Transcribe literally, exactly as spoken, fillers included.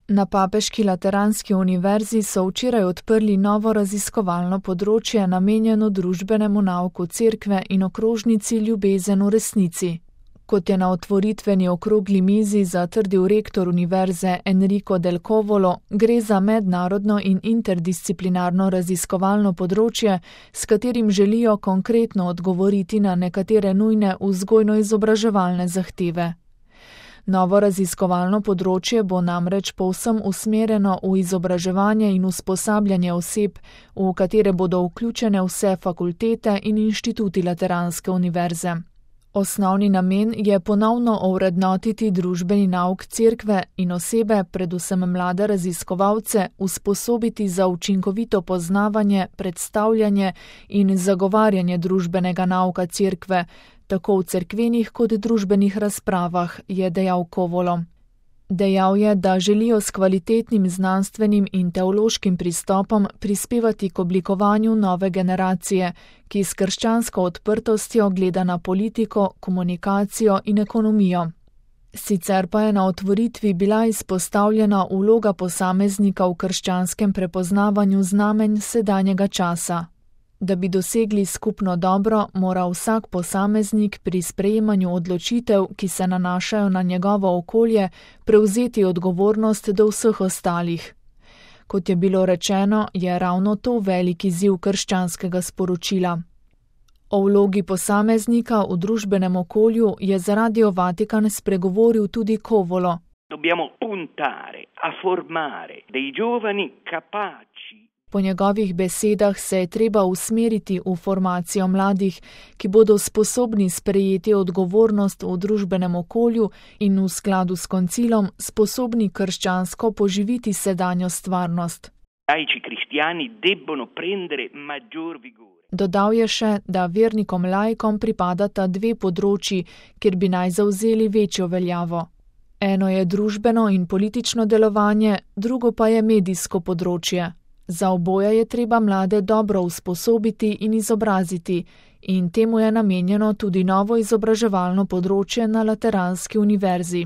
Na Papeški lateranski univerzi so včeraj odprli novo raziskovalno področje namenjeno družbenemu nauku cerkve in okrožnici Ljubezen v resnici. Kot je na otvoritveni okrogli mizi zatrdil rektor univerze Enrico Del Covolo, gre za mednarodno in interdisciplinarno raziskovalno področje, s katerim želijo konkretno odgovoriti na nekatere nujne vzgojno-izobraževalne zahteve. Novo raziskovalno področje bo namreč povsem usmerjeno v izobraževanje in usposabljanje oseb, v katere bodo vključene vse fakultete in inštituti Lateranske univerze. Osnovni namen je ponovno ovrednotiti družbeni nauk cerkve in osebe, predvsem mlade raziskovalce, usposobiti za učinkovito poznavanje, predstavljanje in zagovarjanje družbenega nauka cerkve, tako v cerkvenih kot družbenih razpravah, je dejal Covolo. Dejal je, da želijo s kvalitetnim znanstvenim in teološkim pristopom prispevati k oblikovanju nove generacije, ki s krščansko odprtostjo gleda na politiko, komunikacijo in ekonomijo. Sicer pa je na otvoritvi bila izpostavljena vloga posameznika v krščanskem prepoznavanju znamenj sedanjega časa. Da bi dosegli skupno dobro, mora vsak posameznik pri sprejemanju odločitev, ki se nanašajo na njegovo okolje, prevzeti odgovornost do vseh ostalih. Kot je bilo rečeno, je ravno to velik izziv krščanskega sporočila. O vlogi posameznika v družbenem okolju je za Radio Vatikan spregovoril tudi Covolo. Dobbiamo puntare a formare dei giovani capaci. Po njegovih besedah se je treba usmeriti v formacijo mladih, ki bodo sposobni sprejeti odgovornost v družbenem okolju in v skladu s koncilom sposobni krščansko poživiti sedanjo stvarnost. Laici cristiani debbono prendere maggior vigore. Dodal je še, da vernikom laikom pripadata dve področji, kjer bi naj zavzeli večjo veljavo. Eno je družbeno in politično delovanje, drugo pa je medijsko področje. Za oboje je treba mlade dobro usposobiti in izobraziti, in temu je namenjeno tudi novo izobraževalno področje na Lateranski univerzi.